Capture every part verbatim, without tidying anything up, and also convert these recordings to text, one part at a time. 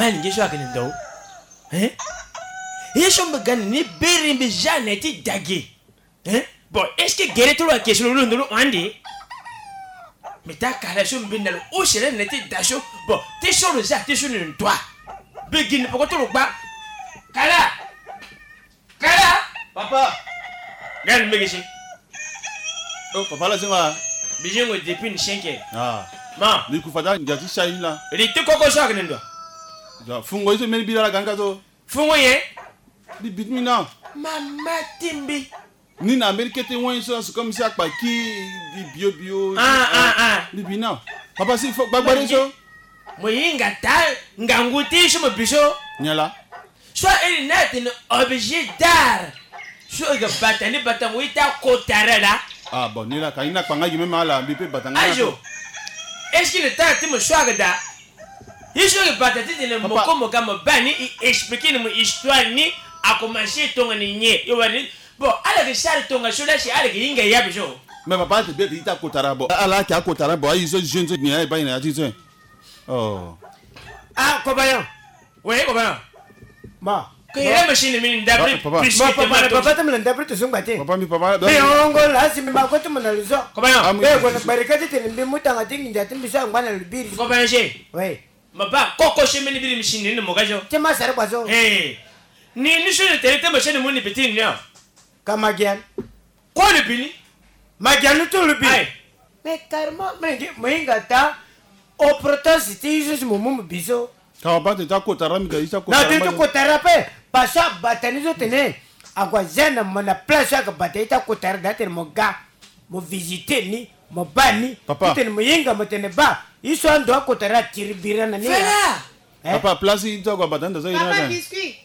Alingbi so ayeke na ndo. Hein? Ye so mbi ga na ni biri mbi ja na ya ti dage. Hein? Bon, est-ce que gere ti lo ayeke so lo londo lo hon ande? Mbi ta kara so mbi na lo use lani na ya ti da so. Bon, ti so lo za ti so na ndo. Mbi gi ni poko ti lo gba. Kala. Kala. Papa. Gani mbege si. Oh, papa la zinga. Bizingo depuis ni cinq heures. Ah. Ma. Ni ku fada ndia ti sai la. Ri ti koko so ayeke na ndo. Ja, fungo iso meni bila la ganga to. Fungo ye. Di bit mi na. Mama ti mbi. Ni na mbeni kete wani so, c'est comme si akpa ki di bio bio. Ah, ah, ah. Ni bi na. Papa si fo gbagbare so. Mo hinga ta ngangu ti so mo bi so. Nyen la. So iri ni atene objet d'art. So e ga bata ni batango ita kotara la. Ah bon, ni la ka ni na kpanga gi même ala mbi pe batanga. Ayo. Est-ce que le temps ti mo so aga da? Ye so e bata ti tene mo ko mo ga mo ba ni e expliquer ni mo histoire ni a commencer tongana nyen e wara ni. Bon, ala yeke sara tongaso la si ala yeke hinga ya biso. Mais papa ate be ate ita kotara bon. Ala yeke akotara bon aye so jeune so nyen aye baa e na ya ti so. Oh. Ah, compagnon. Oui, compagnon. Ma. Ke ye machine mini ndapre. Papa. Papa. Ma, papa, papa te mbi na ndapre te so ngba te. Papa mbi papa. Mbi hongo la si mbi ma ko te mbi na luzo. Compagnon. Be ko na barika ti tene mbi mu tanga ti nginza ti mbi so angba na lubiri. Compagnon je. Oui. Ma ba koko si mbeni biri mbi si ni ni mo ga so. Ti ma sara bua so. Eh. Ni ni so ni tere te mo si ni mo ni biti ni o. Ka ma gi an. Ko ni bi ni. Ma gi an ni tu lu bi. Aye. Mais carrément mo hinga ta. O protest ti so si mo mu mo bi so. Ka wa ba te ta kotara mi ga ita kotara. Na te ti kotara pe. Parce que abata ni so tene. Ague aza na mo na place so aga bata ita kotara da tene mo ga. Mo visite ni, mo ba ni. Papa. Ti tene mo hinga mo tene ba. Ye so ando akota ra tiri bira na ni. Fela. Eh? Papa, place ye ti ague abata ni da so ye. Papa na biscuit.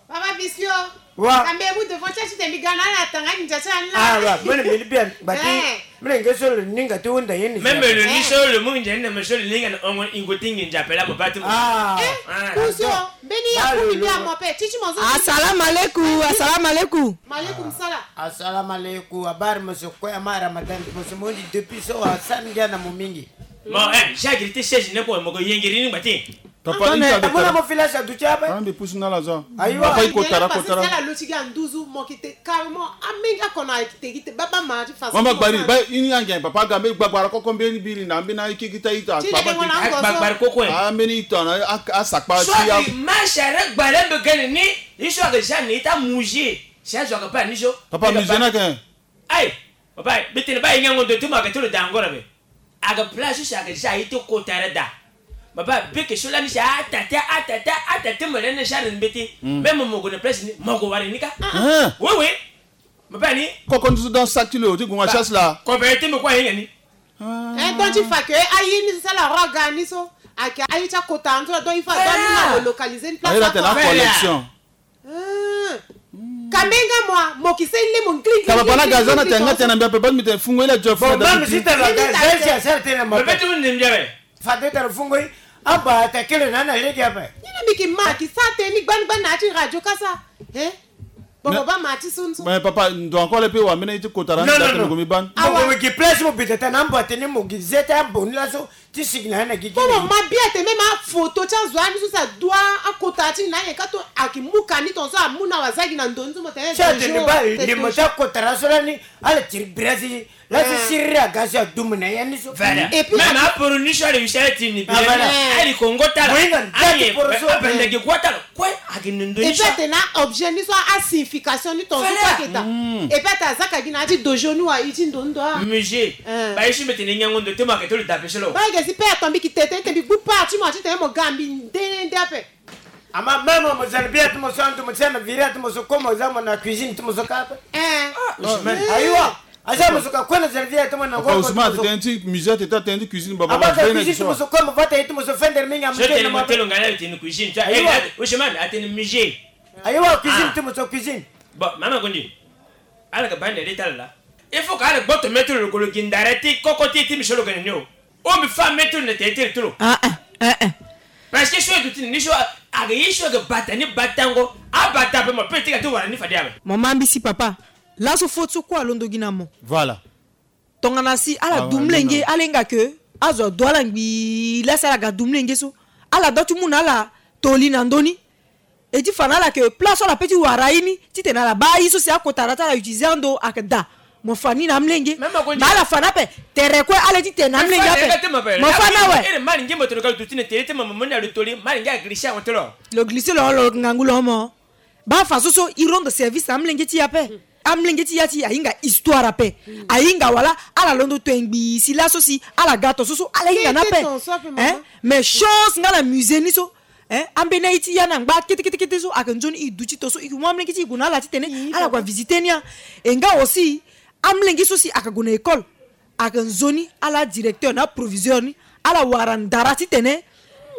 Papa biscuit o. Wa. Kambe mu devant tia ti tene mbi ga na ala tanga ni ndia ti ala. Ah, wa. Mene mbi ni bien. Bati. Eh. Mene nge so lo ni nga ti hunda ye ni. Même lo ni so lo mu ndia ni na me so lo ni nga na ongo ingo ti nginza pela mo ba ti mo. Ah. Eh, ah, kuso. Mbeni ya kumi mbi amo pe. Titi mo zo. Assalamu alaikum, assalamu alaikum. Maaleykum salam. Assalamu alaikum. Habari mo so kue ama Ramadan mo so mo ndi depuis so wa sani ngia na mo mingi. Mo, eh, jagiri ti seize ne ko mo ko yengiri ni ngba ti. Papa, ita de mo na mo fila sa duti ape. Ah, mbi pusu na la zo. Ayiwa. Papa, iko tara ko tara. Sala lo ti ga nduzu mo ki te carrément. Amenga kona ki te ki te baba ma ti façon. Mama gbari, ba ini ange papa ga mbi gbagbara koko mbi ni biri na mbi na iki kita ita. Papa ki gbagbara koko. Ah, mbi ni ita na a sakpa ti ya. Masha re gbare mbi gani ni. Iso aga jani ita muji. Si azo aga pa ni so. Papa, muji na ke. Aye, papa, mbi tene ba e ngango ndo ti mo aga ti lo da angora be. Aga place so si aga za aye ti kota ra da. Papa, beke so lani si atate, atate, atate mo lani si ala mbeti. Même mo gue na place ni, mo gue wara ni ka. Ah. Oui, oui. Papa ni. Koko nduzu dans sac ti lo ti gue na chasse la. Ko be ti mo kue ahinga ni. Eh, donc il faut que aye ni so sala roi ga ni so. Ake aye ti akota anzo, donc il faut que nous localiser une place. Aye la tena collection. Kamenga mwa mo ki seni le mo ngri ngri. Kaba bana gaza na tenga tena mbia pe ban mi te fungo ile jof. Bon, même si tena gaza si asara tena mo pe tu ni mbia pe. Fade tena fungo i aba ta kele na na lege ape. Ni na mi ki ma ki sa te ni gban gban na ti radio kasa. Eh? Bon, bon, ba ma ti sunsu. Mais papa, ndo encore le pe wa mena ti kotara na tena ko mi ban. Awa. Mo ki place mo bita tena mbo tena mo ki zeta bon la so. Ti sigi na ye na gigi. Komo ma bia te même aphoto ti azo ani so si adua akota ti na ye ka to aki mu ka ni tongaso amu na wazagi na ndo ni so mo tene. Si atene ba limo ti akota ra so lani ala tiri bira si la si siriri aga si adumu na ye ni so. Voilà. Et puis même aporo ni so ala wisi ala tiri ni bira ni ala iko ngo tala. Mohinga nda ti poro so abanda gi kua tala. Kue ake na ndo ni so. Et puis atene na objet ni so asignification ni tongaso kue ake ta. Et puis ata azaka gi na ya ti dojo ni wa i ti ndo ndo a. Musée. Ba ye so mbi tene nyango ndo ti mo ake ti lo dape so lo. Ba ege si pe ato mbi ki tete te mbi gbu part ti mo ati tene mo ga mbi nde nde ape. Ama même mo zana bien ti mo so ando mo ti zana viri ati mo so comme mo za mo na cuisine ti mo so ka ape. Eh. Ayiwa. Aza mo so ka kue na zana viri ati mo na ngoro. Ousmane ati tene ti musée ati tene ti cuisine baba. Aba ka cuisine ti mo so comme mo va ta ye ti mo so fender mingi amu tene mo telo ngana tene cuisine. Ayiwa. Ousmane ati tene musée. Ayiwa cuisine ti mo so cuisine. Bon mama kundi. Ala ka bande de tala la. Il faut ka ala gboto mettre le kolo gindare ti koko ti ti mi solo gene nio. O mbi fa mettre na tete tolo. Ah ah ah ah. Parce que so du tini ni so aga yi so ga bata ni batango. A bata pe mo pe ti ga ti wara ni fadi abe. Mo mambi si papa. Laso fo ti so kue alondo gi na mo. Voilà. Tongana si ala du mlenge ala hinga ke azo adu ala ngbii lasi ala ga du mlenge so ala do ti mu na ala toli na ndö ni. E ti fa na ala yeke place so ala peut ti wara ye ni titene ala baa ye so si akota na ya ti ala utiliser ando ayeke daa. Mo fa ni na amolenge. Même ako ma ala fa na ape. Tere kue ala ye titene na amolenge ape. Mo fa na awe. Ere mari nge mo tene ka lo duti na tere ti mama mo ni alo toli mari nge aglisser awe ti lo. Lo glisser lo lo ngangu lo mo. Baa fa so so e rendre service na amolenge ti e ape. Amolenge ti e ti ahinga histoire ape. Ahinga wala ala londo to ngbii si laso si ala ga to so so ala hinga ni ape. Mais chance nga na musée ni so. Ambeni aye ti ya na ngba kete kete kete so ayeke nzoni e duti to so e mu amolenge ti e gue na ala titene ala gue avisiter ni ya. E nga aussi amolenge so si ayeke gue na école ayeke nzoni ala directeur na aproviseur ni ala wara ndara titene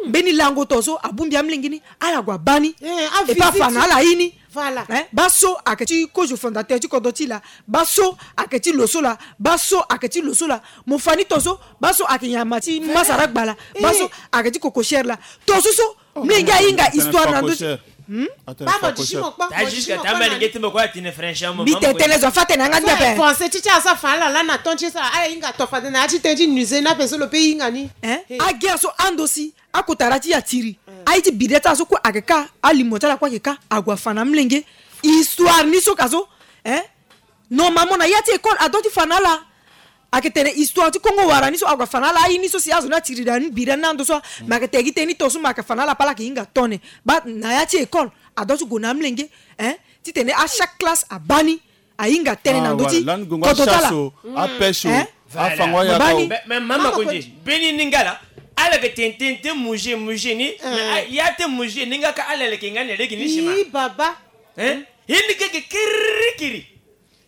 mbeni lango to so abongbi amolenge ni ala gue abaa ni. E pe afa na ala ye ni. Baa so ayeke ti kozo fondateur ti kodro ti e laa. Baa so ayeke ti lo so laa. Baa so ayeke ti lo so laa. Mo fa ni to so. Baa so ayeke nyama ti masara gbala. Baa so ayeke ti kokoshere laa. To so so mbi lenge ahinga histoire na ndö ti. Mbi tene zo afa tene yanga ndia pe. Français ti ti aza fa ala laa na temps ti e so ala hinga to fade na ya ti tënë ti nuse ni ape so lo pe hinga ni. Agia so ando si akota na ya ti e atiri. Aye ti bide ti ala so kue ayeke ka alimo ti ala kue ayeke ka ague afa na amolenge. Histoire ni so ka so. Normalement na ya ti école adua ti fa na ala. Ayeke tene histoire ti Kongo wara ni so ague afa na ala aye ni so si azo ni atiri da ni bira ni na ando so. Me ayeke tene gi tënë ni to so me ayeke fa na ala pe ala yeke hinga tone. Baa na ya ti école adua ti gue na amolenge titene achaque classe abaa ni. Ahinga tënë na ndö ti kodro ti ala. Afango aya ko. Mais mama konje beni ni nga la. Ala yeke tene tene te muje muje ni. Ya te muje ni nga ka ala leke nga ni lege ni sima. Baba. Ye ni keke kirikiri.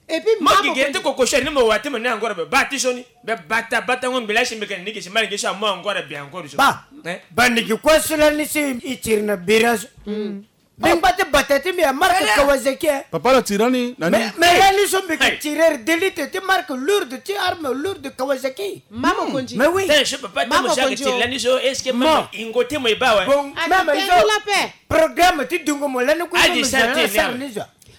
Et puis mo gigi ti kokoshere ni mo wa ti mo ni angora be ba ti so ni be bata bata ngo mbila si mbi kene ni gi si mara gi so amu angora be angora so. Ba. Ba ni gi kue so lani si i tiri na bira so. Mbi ngba ti bata ti mbi ya marque Kawasaki. Papa la tiri ni na ni. Mais lani so mbi gi tirer d'élite ti marque lourde ti arme lourde Kawasaki. Mama konji. Mais oui. Mama konji. Lani so est-ce que mama ingo ti mo i ba wa. Bon mama izo. Programme ti dungo mo lani ku. Adi sa ti ni.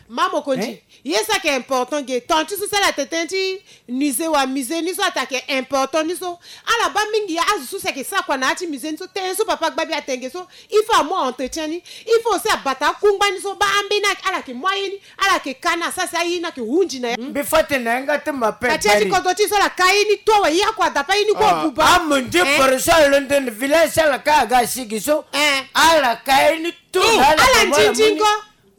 Mama konji. Ye so ayeke important ge temps ti so si ala tene tënë ti musée wa musée ni so atene ayeke important ni so. Ala baa mingi azo so si ayeke sara kua na ya ti musée ni so tënë so papa gba mbi atene ge so. Il faut amu entretien ni. Il faut aussi abata akungba ni so baa ambeni ala yeke mu aye ni. Ala yeke ka ni asara si aye ni ayeke hunzi na ya. Mbi fa tene na yanga ti ma pe. Ka ti ya ti kodro ti so ala ka ye ni to awe ye oko adapa ye ni kue abuba. Amundi poro so alondo na village so ala ka aga asigi so. Ala ka ye ni to na ala nzinzingo.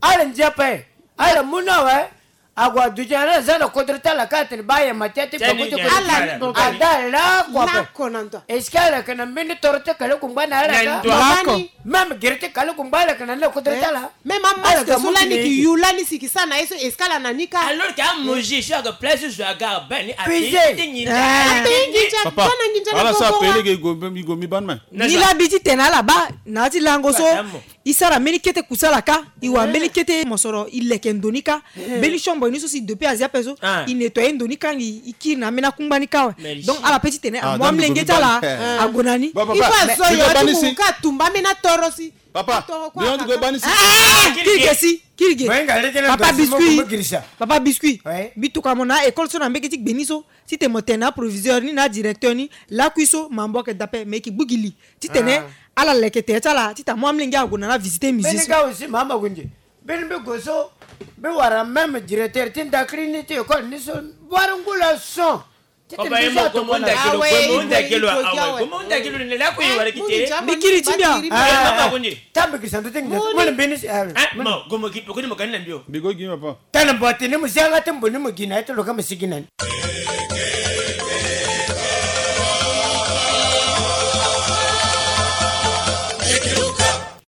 Ala ndia pe. Ala mu na awe. Ague aduti na ala za na kodro ti ala ka atene baa ayama ti ya ti gbako ti kodro ti ala. Ada lakue ape. Est-ce que ala yeke na mbeni toro ti kale kungba na ala ka? Même gere ti kale kungba ala yeke na ni na kodro ti ala. Même amasque so lani ki yu lani si ki sara na ye so est-ce que ala na ni ka? Alors que amozi so aga place so aga abaa ni ape. Papa ala so ape lege i go mi baa ni me. Ni la mbi ti tene na ala baa na ya ti lango so. I sara mbeni kete kusala ka. I wara mbeni kete mosoro i leke ndo ni ka. Mbeni chambre ni so si depuis azia ape so i nettoyer ndo ni ka ngi i kiri na ambeni akungba ni ka awe. Donc ala pe ti tene amu amolenge ti ala ague na ni. Il faut azo yo ati mu ka tumba ambeni atoro si. Papa. Kiri ge si kiri ge. Papa biscuit. Papa biscuit. Mbi tokua mo na école so na mbege ti gbe ni so. Titene mo tene na aproviseur ni na adirecteur ni lakui so mambo ayeke dape me e yeke gbu gi li. Titene ala leke tere ti ala titene amu amolenge ague na ala visiter musée so. Mbeni ga aussi mama gunze. Mbeni mbi gue so mbi wara même directeur ti ndakiri ni ti école ni so. Wara ngu la son. Titene mbi so atokua na ala. Mbi kiri ti mbi a. Tambi kiri santu ti ngi. Mbeni mbeni si. Mbi go gi papa. Tene mbo atene mo si yanga ti mbo ni mo gi na ye ti lo ka mo sigi na ni.